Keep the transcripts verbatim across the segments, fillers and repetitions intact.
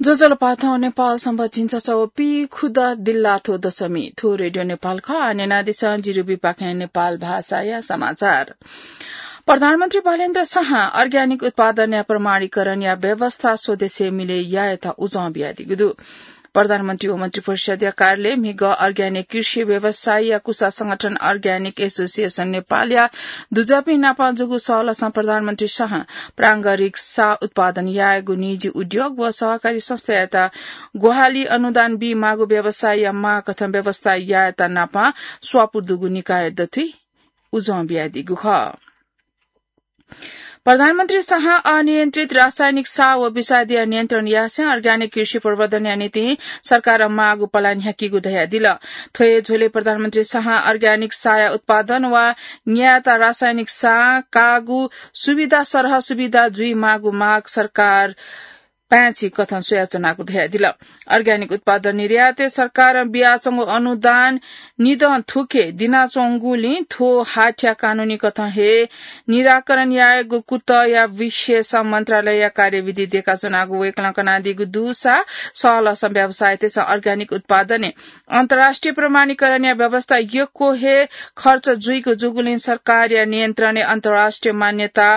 ज्वजलपा, थौं नेपाल संवत् झिंछसः व पीखुदँ दिल्लाथ्व दशमी। थ्व रेडियो नेपाल खः। आः न्यनादिसँ जिरुबी पाखें नेपाल भाषाया समाचार। प्रधानमन्त्री बालेन्द्र शाहं अर्ग्यानिक उत्पादनया प्रमाणीकरणया व्यवस्था स्वदेशय् मिले यायेत उजं बियादीगु दु। प्रधानमन्त्री व मन्त्रिपरिषदया कार्यालयं म्हिगः अर्ग्यानिक कृषि व्यवसायीया कुसा संगठन अर्ग्यानिक एसोसिएसन नेपालया दुजःपिं नाप जूगु सहलसं प्रधानमन्त्री शाहं प्रांगरिक साः उत्पादन यायेगु निजी उद्योग व सहकारी संस्थायात ग्वाहालि अनुदान बीमाःगु व्यवसायीया माग कथं व्यवस्था यायेत नाप स्वापू दुगु निकाय दथुइ उजं बियादीगु खः। प्रधानमन्त्री शाहं अनियन्त्रित रासायनिक साः व विषादीया नियन्त्रण यासें अर्ग्यानिक कृषि प्रवर्धनया निंतिं सरकारं माःगु पलाः न्ह्याकीगु धयादिल। थ्व हे झ्वलय् प्रधानमन्त्री शाहं अर्ग्यानिक साःया उत्पादन वा न्यायेत रासायनिक साः काःगु सुविधा सरह सुविधा जुइमाःगु माग सरकार पाय्छि कथं स्वयाच्वनागु धयादिल। अर्ग्यानिक उत्पादन निर्यातय् सरकारं बियाच्वंगु अनुदान निदँ थुखे दिनाच्वंगुलिं थ्व हाथ्या कानूनी कथं हे निराकरण यायेगु कुतःया विषयसं मन्त्रालयया कार्यविधि देकाच्वनागु वय्कलं कनादीगु दुसा सहलसं व्यवसायीतय्सं अर्ग्यानिक उत्पादनय् अन्तर्राष्ट्रिय प्रमाणीकरणया व्यवस्था यक्व हे खर्च जुइगु जूगुलिं सरकारया नियन्त्रणय् अन्तर्राष्ट्रिय मान्यता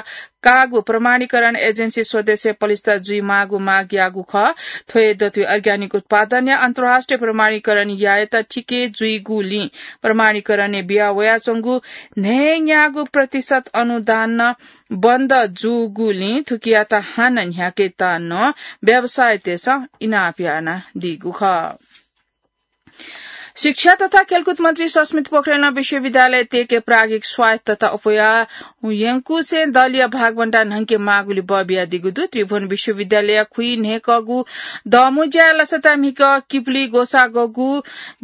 काःगु प्रमाणीकरण एजेन्सी स्वदेशय् पलिस्था जुइमाःगु माग याःगु खः। थ्व हे दथुइ अर्ग्यानिक उत्पादनया अन्तर्राष्ट्रिय प्रमाणीकरण यायेत थिके जुइगुलिं प्रमाणीकरणय् बिया वयाच्वंगु न्हय्‌न्यागू प्रतिशत अनुदान नं बन्द जूगुलिं थुकियात हानं न्ह्याकेत नं व्यवसायीतय्सं इनाप यानादीगु खः। शिक्षा तथा खेलकुद मन्त्री सस्मित पोखरेलं विश्वविद्यालय तय्के प्राज्ञिक स्वायत्तता अप्वया यंकुसें दलया भागबण्डा न्हंके माःगुलि बः बियादीगु दु। त्रिभुवन विश्वविद्यालयया खुइन्हय् कःगु दःमु ज्याय् लसताय् म्हिगः किपुली ग्वसाः ग्वःगु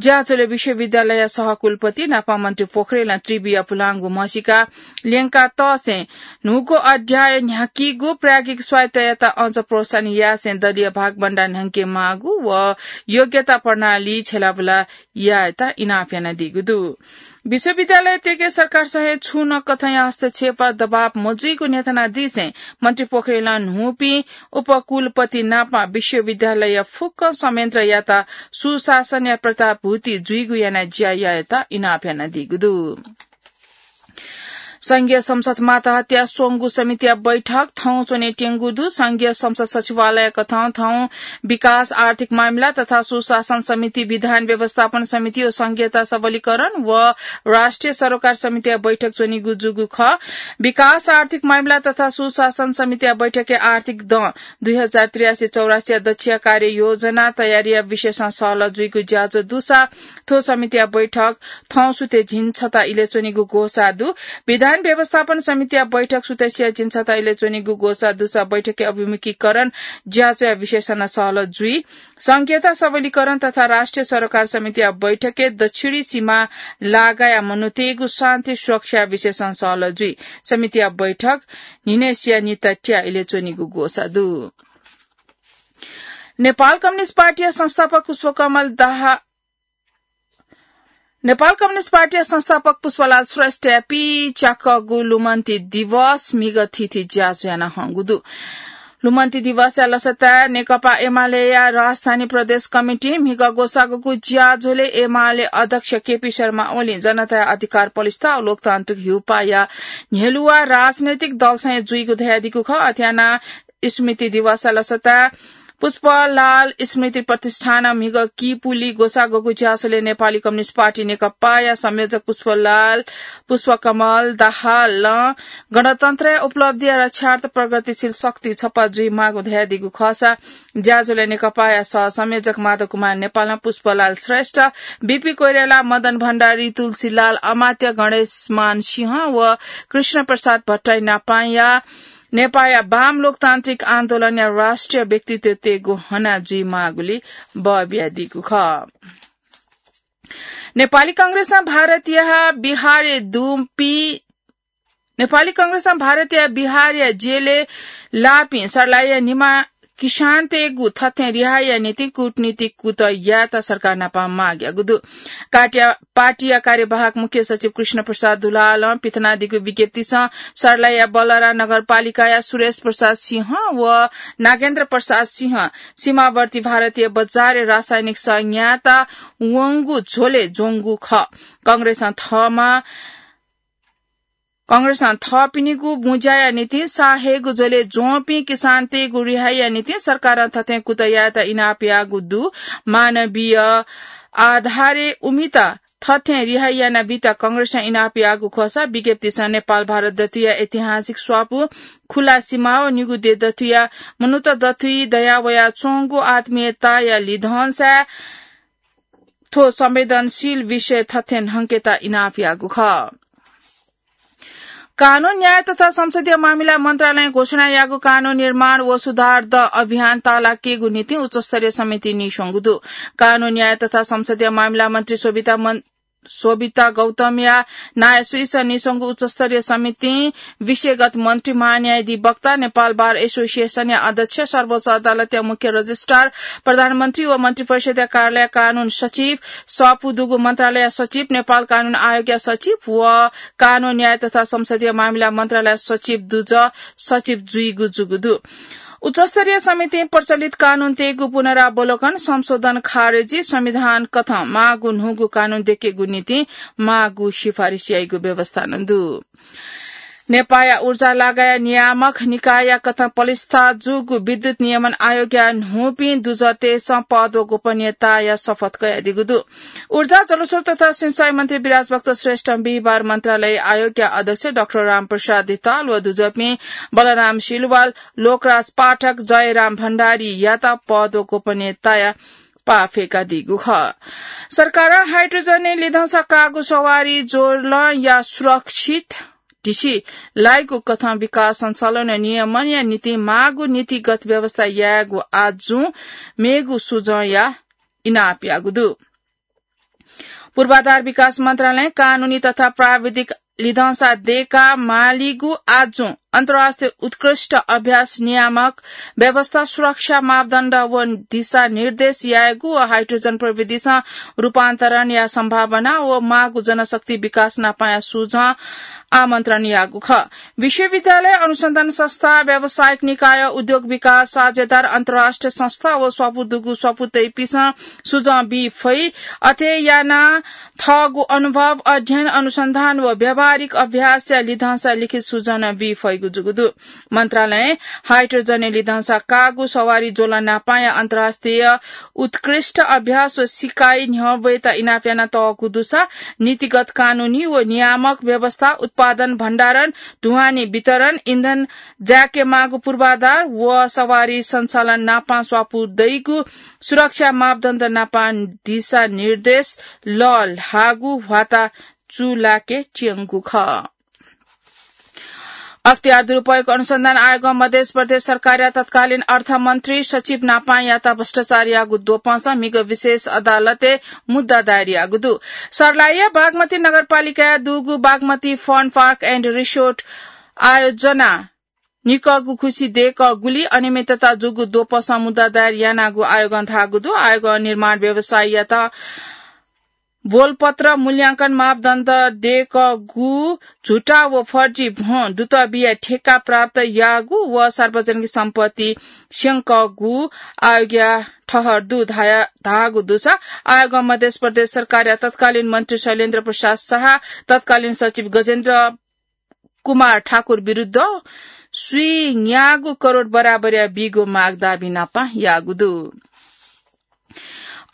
ज्याझ्वलय् विश्वविद्यालयया सहकुलपति नापं मन्त्री पोखरेलं त्रिविया पुलांगु म्हसीका ल्यंका तःसें न्हूगु अध्याय न्ह्याकीगु प्राज्ञिक स्वायत्ततायात अझ प्रोत्साहन यासें दलीय भागबण्डा न्हंके माःगु व योग्यता प्रणाली छ्यलाबुला यायेत इनाप यानादीगु दु। विश्वविद्यालय तय्के सरकारसं हे छुं नं कथंया हस्तक्षेप दबाब मजुइगु न्ह्यथनादीसें मन्त्री पोखरेलं न्हूपिं उपकुलपति नाप विश्वविद्यालय फुक्क संयन्त्रयात सुशासनया प्रत्याभूति जुइगु यानाः ज्या यायेत इनाप यानादीगु दु। संघीय संसद मातहतय् स्वंगू समितिया बैठक थौं च्वनेत्यंगु दु। संघीय संसद सचिवालय कथं थौं विकास, आर्थिक मामिला तथा सुशासन समिति, विधान व्यवस्थापन समिति व संघीयता सबलीकरण व राष्ट्रिय सरोकार समितिया बैठक च्वनीगु जूगु खः। विकास, आर्थिक मामिला तथा सुशासन समितिया बैठकय् आर्थिक दँ दुई हजार त्रियासी चौरासीया दच्छिया कार्य योजना तयारीया विषयसं सहलह जुइगु ज्याझ्वः दुसा थ्व समितिया बैठक थौं सुथय् झिंछता इलय् च्वनीगु ग्वसाः दु। विधान व्यवस्थापन समितिया बैठक सुथसिया झिंछता इलय् च्वनीगु ग्वसाः दुसा बैठकय् अभिमुखीकरण ज्याझ्वःया विषयसं नं सहलह जुइ। संघीयता सबलीकरण तथा राष्ट्रिय सरोकार समितिया बैठकय् दक्षिणी सीमा लागाया मनूतय्गु शान्ति सुरक्षा विषयसं सहलह जुइ। समितिया बैठक न्हिनय्सिया निता त्या इलय् च्वनीगु ग्वसाः दु। नेपाल कम्युनिस्ट पार्टीया संस्थापक पुष्पकमल दाहाल नेपाल कम्युनिस्ट पार्टीया संस्थापक पुष्पलाल श्रेष्ठया पीच्याकःगु लुमन्ति दिवस म्हिगः थीथी ज्याझ्वः याना हंगु दु। लुमन्ति दिवसया लसताय् नेकपा एमालेया राजधानी प्रदेश कमिटिं म्हिगः ग्वसाःगु ज्याझ्वलय् एमाले अध्यक्ष केपी शर्मा ओलीं जनताया अधिकार पलिस्था व लोकतान्त्रिक ह्यूपाःया न्ह्यलुवा राजनैतिक दलसं हे जुइगु धयादीगु खः। अथे यानाः स्मृति दिवसया लसताय् पुष्पलाल स्मृति प्रतिष्ठानं म्हिगः किपुली ग्वसाःगु ज्याझ्वलय् नेपाली कम्युनिस्ट पार्टी नेकपाया संयोजक पुष्पलाल, पुष्पकमल दाहालं गणतन्त्रया उपलब्धिया रक्षार्थ प्रगतिशील शक्ति छपा जुइमाःगु धयादीगु खःसा ज्याझ्वलय् नेकपाया सह संयोजक माधव कुमार नेपालं पुष्पलाल श्रेष्ठ, बीपी कोइराला, मदन भण्डारी, तुलसीलाल अमात्य, गणेशमान सिंह व कृष्ण प्रसाद भट्टराई नापाया नेपाया वाम लोकतान्त्रिक आन्दोलनया राष्ट्रिय व्यक्तित्वतय्गु हना जुइमाःगुलि बः बियादीगु खः। नेपाली कांग्रेसं भारतया बिहारय् दुपिं, नेपाली कांग्रेसं भारतया बिहारया जेलय् लाःपिं सर्लाहीया निमा किसानतय्गु थथें रिहाइया निंतिं कूटनीतिक कुतः यायेत सरकार नाप माग याःगु दु। काटिया-, पार्टीया कार्यवाहक मुख्य सचिव कृष्ण प्रसाद दुलालं पिथनादीगु विज्ञप्तिसं सर्लाहीया बलरा नगरपालिकाया सुरेश प्रसाद सिंह व नागेन्द्र प्रसाद सिंह सीमावर्ती भारतीय बजारय् रासायनिक संयन्त्र वंगु झ्वलय् ज्वंगु खः। कांग्रेसं थःमा कांग्रेसं थःपिनिगु बुँज्याया निंतिं साहेगु झ्वलय् ज्वंपिं किसानतय्गु रिहाइया निंतिं सरकारं थथें कुतः यायेत इनाप याःगु दु। मानवीय आधारय् उमित थथें रिहाइ यानाबीत कांग्रेसं इनाप याःगु खःसा विज्ञप्तिसं नेपाल भारत दथुइया ऐतिहासिक स्वापू, खुला सीमा व निगू देय् दथुइया मनूत दथुइ दया वयाच्वंगु आत्मीयताया लिधंसाय् थ्व संवेदनशील विषय थथें न्हंकेत इनाप याःगु खः। कानून, न्याय तथा संसदीय मामिला मन्त्रालयं घोषणा याःगु कानून निर्माण व सुधार द अभियान ताःलाकेगु निंतिं उच्चस्तरीय समिति नीस्वंगु दु। कानून, न्याय तथा संसदीय मामिला मन्त्री शोभिता मन-, शोभिता गौतमया नायःसुइसं नीस्वंगु उच्चस्तरीय समितिं विषयगत मन्त्री, महान्यायाधिवक्ता, नेपाल बार एसोसिएसनया अध्यक्ष, सर्वोच्च अदालतया मुख्य रजिस्ट्रार, प्रधानमन्त्री व मन्त्रिपरिषदया कार्यालय कानून सचिव, स्वापू दुगु मन्त्रालय सचिव, नेपाल कानून आयोगया सचिव व कानून, न्याय तथा संसदीय मामिला मन्त्रालय सचिव दुजः सचिव जुइगु जूगु दु। उच्चस्तरीय समितिं प्रचलित कानूनतय्गु पुनरावलोकन, संशोधन, खारेजी, संविधान कथं माःगु न्हूगु कानून दय्केगु निंतिं माःगु सिफारिस याइगु व्यवस्था नं दु। नेपाःया ऊर्जा लगाया नियामक निकायया कथं पलिस्था जूगु विद्युत नियमन आयोगया न्हूपिं दुजःतय्सं पद व गोपनीयताया शपथ कयादीगु दु। ऊर्जा, जलस्रोत तथा सिंचाई मन्त्री विराज भक्त श्रेष्ठं बिहिबार मन्त्रालय आयोगया अध्यक्ष डाक्टर रामप्रसाद धिताल व दुजःपिं बलराम सिलवाल, लोकराज पाठक, जयराम भण्डारीयात पद व गोपनीयताया पाः फ्यंकादीगु खः। सरकारं हाइड्रोजनय् लिधंसा काःगु सवारी ज्वलंया सुरक्षित ढिसि लाइगु कथं विकास सञ्चालन नियमनया निंतिं माःगु नीतिगत व्यवस्था यायेगु आजुं मेगु सुजंया इनाप याःगु दु। पूर्वाधार विकास मन्त्रालयं कानूनी तथा प्राविधिक लिधंसा दय्का मालीगु आजुं अन्तर्राष्ट्रिय उत्कृष्ट अभ्यास नियामक व्यवस्था सुरक्षा मापदण्ड व दिशानिर्देश यायेगु व हाइड्रोजन प्रविधिसं रूपान्तरणया सम्भावना व माःगु जनशक्ति विकास नापांया सुझाव आमन्त्रण याःगु खः। विश्वविद्यालय, अनुसन्धान संस्था, व्यावसायिक निकाय, उद्योग विकास साझेदार, अन्तर्राष्ट्रिय संस्था व स्वापू दुगु स्वापू तइपिसं सुझाव बी फइ। अथे यानाः थःगु अनुभव, अध्ययन, अनुसन्धान व व्यावहारिक अभ्यासया लिधंसा लिखित सुझाव नं बी फइगु जूगु दु। मन्त्रालयं हाइड्रोजनय् लिधंसा काःगु सवारी ज्वलं नापांया अन्तर्राष्ट्रिय उत्कृष्ट अभ्यास व सिकाइ न्ह्यब्वयेत इनाप यानातःगु दुसा नीतिगत, कानूनी व नियामक व्यवस्था, उत्पादन, भण्डारण, ढुवानी वितरण, इन्धन जायेकेमाःगु पूर्वाधार व सवारी सञ्चालन नापां स्वापू दइगु सुरक्षा मापदण्ड नापां दिशानिर्देश लःल्हाःगु ह्वाता चूलाके च्यंगु खः। अख्तियार दुरुपयोग अनुसन्धान आयोगं मध्य प्रदेश सरकारया तत्कालीन अर्थमन्त्री सचिव नापांयात भ्रष्टाचार याःगु द्वपंसं म्हिगः विशेष अदालतय् मुद्दा दायर याःगु दु। सर्लाहीया बागमती नगरपालिकाय् दुगु Bagmati Fun Park and Resort आयोजना निकःगु खुसि दय्कःगुली अनियमितता जूगु द्वपंसं मुद्दा दायर यानागु आयोगं धाःगु दु। आयोगं निर्माण व्यवसायीयात बोलपत्र, मूल्यांकन मापदण्ड दय्कःगु, झुटा व फर्जी भ्वं दुतः बियाः ठेक्का प्राप्त याःगु व सार्वजनिक सम्पत्ति स्यंकःगु आयोगया ठहर दु धाया-, धाःगु दुसा आयोगं मध्य प्रदेश सरकारया तत्कालीन मन्त्री शैलेन्द्र प्रसाद शाह, तत्कालीन सचिव गजेन्द्र कुमार ठाकुर विरुद्ध स्वीन्यागू करोड बराबरया बीगु माग दाबी नापं याःगु दु।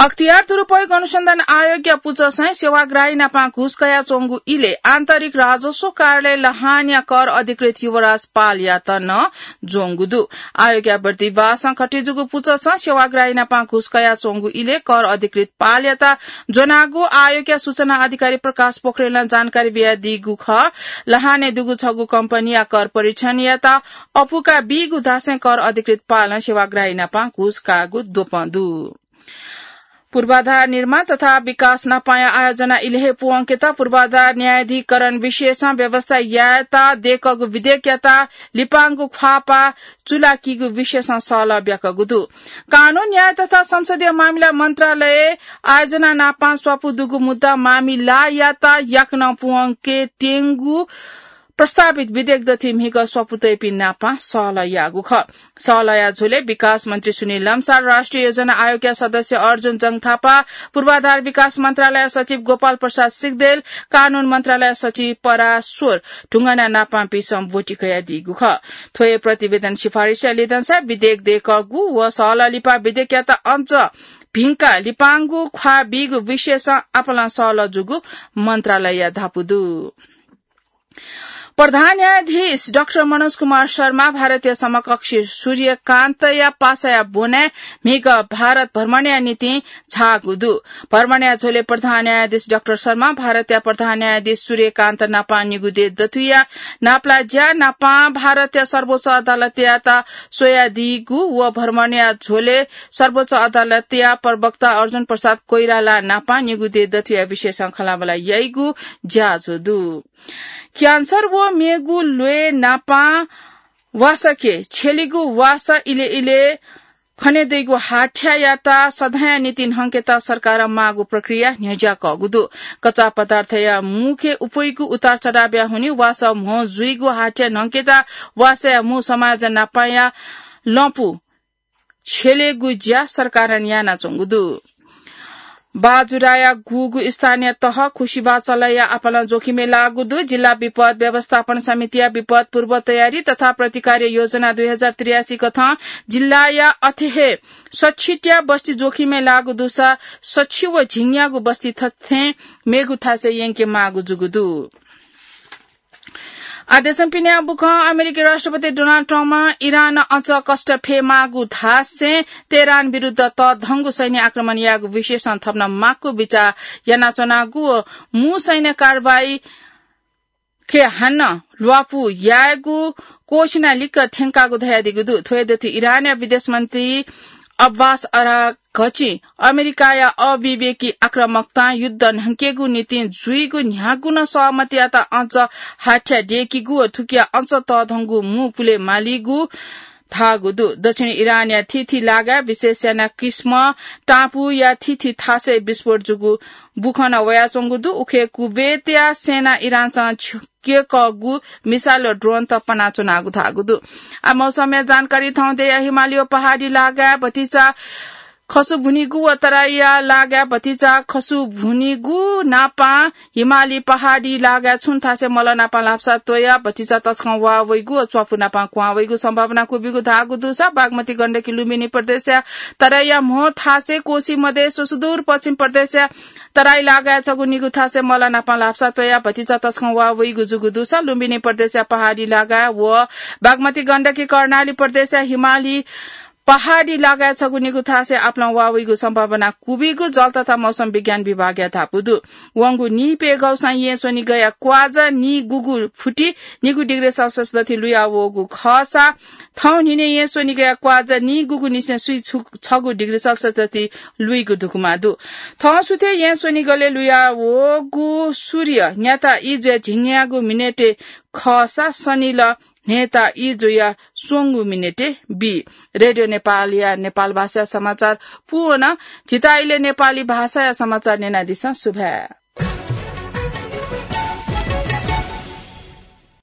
अख्तियार दुरुपयोग अनुसन्धान आयोगया पुचःसं सेवाग्राही नापं घुस कयाच्वंगु इलय् आन्तरिक राजस्व कार्यालय लहानया कर अधिकृत युवराज पालयात नं ज्वंगु दु। आयोगया बर्दिवासं खटिजूगु पुचःसं सेवाग्राही नापं घुस कयाच्वंगु इलय् कर अधिकृत पालयात ज्वनागु आयोगया सूचना अधिकारी प्रकाश पोखरेलं जानकारी बियादीगु खः। लहानय् दुगु छगू कम्पनीया कर परीक्षणयात अपुका बीगु धासें कर अधिकृत पालं सेवाग्राही नापं घुस काःगु द्वपं दु। पूर्वाधार निर्माण तथा विकास नापाया आयोजना इलय् हे पुवंकेत पूर्वाधार न्यायाधिकरण विशेषं व्यवस्था यायेत देकःगु विधेयकयात लिपांगु ख्वाःपाः चुलाकीगु विशेषं सहलह ब्याकःगु दु। कानून, न्याय तथा संसदीय मामिला मन्त्रालय आयोजना नापां स्वापू दुगु मुद्दा मामिलायात याकनं पुवंके त्यंगु प्रस्तावित विधेयक दथुइ म्हिगः स्वापू तइपिं नापां सहलह याःगु खः। सहलहया झ्वलय् विकास मन्त्री सुनिल लम्साल, राष्ट्रिय योजना आयोगया सदस्य अर्जुन जंग थापा, पूर्वाधार विकास मन्त्रालय सचिव गोपाल प्रसाद सिग्देल, कानून मन्त्रालय सचिव पराश्वर ढुङ्गाना नापांपिन्सं ब्वति कयादीगु खः। थ्व हे प्रतिवेदन सिफारिसया लिधंसा विधेयक देकःगु व सहलह लिपा विधेयकयात अझ भिंकाः लिपांगु ख्वाः बीगु विषयसं आपालं सहलह जूगु मन्त्रालयया धापू दु। प्रधान न्यायाधीश डाक्टर मनोज कुमार शर्मा भारतया समकक्षी सूर्यकान्तया पासाया ब्वनाय् म्हिगः भारत भ्रमणया निंतिं झाःगु दु। भ्रमणया झ्वलय् प्रधान न्यायाधीश डाक्टर शर्मा भारतया प्रधान न्यायाधीश सूर्यकान्त नापां निगू देय् दथुइया नापलाज्या नापां भारतया सर्वोच्च अदालतयात स्वयादीगु व भ्रमणया झ्वलय् सर्वोच्च अदालतया प्रवक्ता अर्जुन प्रसाद कोइराला नापां निगू देय् दथुइया विषयसं खँल्हाबल्हा याइगु ज्याझ्वः दु। क्यान्सर व मेगु ल्वय् नापां वासके छ्यलेगु वासः इलय् इलय् खने दइगु हाथ्यायात सदांया निंतिं न्हंकेत सरकारं माःगु प्रक्रिया न्ह्यज्याकःगु दु। कच्चा पदार्थया मुखे उपय्गु उतार चढावया हुनिं वासः म्हो जुइगु हाथ्या न्हंकेत वासःया मू समाज नापांया लँपु छ्यलेगु ज्या सरकारं यानाच्वंगु दु। बाजुराया गुगु स्थानीय तह खुसिबाः चलया आपालं जोखिमय् लाःगु दु। जिल्ला विपद व्यवस्थापन समितिया विपद पूर्व तयारी तथा प्रतिकार योजना दुई हजार त्रियासी कथं जिल्लाया अथे हे सच्छिट्या बस्ती जोखिमय् लाःगु दुसा सच्छिव झिंग्यागु बस्ती थथें मेगु थासय् यंके माःगु जूगु दु। आदेशं पिने बुखं अमेरिकी राष्ट्रपति डोनाल्ड ट्रम्पं इरान अझ कष्ट फयेमाःगु धासें तेहरान विरुद्ध तःधंगु सैन्य आक्रमण यायेगु विषयसं थप नं माक्व बिचाः यानाच्वनागु व मू सैन्य कारवाही खय् हानं ल्वापु यायेगु क्वःछिना लिक्क थ्यंकागु धयादीगु दु। थ्व हे दथुइ इरानया विदेश मन्त्री अब्बास अराघचिं अमेरिकाया अविवेकी आक्रामकतां युद्ध न्हंकेगु निंतिं जुइगु न्ह्यागु नं सहमतियात अझ हाथ्या दयेकीगु व थुकिया अझ तःधंगु मू पुले मालीगु धाःगु दु। दक्षिण इरानया थीथी लागाय् विशेष यानाः किस्म टापुया थीथी थासय् विस्फोट जूगु बुखं नं वयाच्वंगु दु। उखे कुवेतया सेनां इरानसं छ्यकःगु मिसाइल व ड्रोन तपानाच्वनागु धाःगु दु। आ, मौसमया जानकारी थौं दया। हिमाली व पहाडी लागाय् भतिचा खसुभुनिगु व तराईया लागाय् भतिचा खसुभुनिगु नापां हिमाली पहाडी लागाय् छुं थासय् मल नापां ल्हापसा त्वया भतिचा तसकं वाः वइगु व च्वापु नापां क्वहां वइगु सम्भावना कुबिगु धाःगु दुसा बागमती गण्डकी लुम्बिनी प्रदेशया तराईया म्हो थासय् कोशी मधेस व सुदूर पश्चिम प्रदेशया तराई लागाय् छगू निगू थासय् मल नापां ल्हापसा त्वया भतिचा तसकं वाः वइगु जूगु दुसा लुम्बिनी प्रदेशया पहाडी लागाय् व बागमती गण्डकी कर्णाली प्रदेशया हिमाली पहाडी लागाय् छगू निगू थासय् आपालं वाः वइगु सम्भावना कुबिगु जल तथा मौसम विज्ञान विभागया धापू दु। वंगु नीप्यघौसां येँ स्वनिगःया क्वाजा नीगूगु फुति निगू डिग्री सेल्सियस दथुइ लुया वःगु खःसा थौं न्हिनय् येँ स्वनिगःया क्वाजा नीगूगु निसें स्वीछगू डिग्री सेल्सियस दथुइ लुइगु धुकुमा दु। थौं सुथय् येँ स्वनिगलय् लुया वःगु सूर्य न्याता ई जुया झिंग्यागू मिनेटय् खःसा सनिल न्हय्ता ई जुया स्वंगू मिनेटय् बी। रेडियो नेपालया नेपाल भाषा समाचार पूवना। झीत इलय् नेपाली भाषाया समाचार न्यनादिसँ। सुभाय्।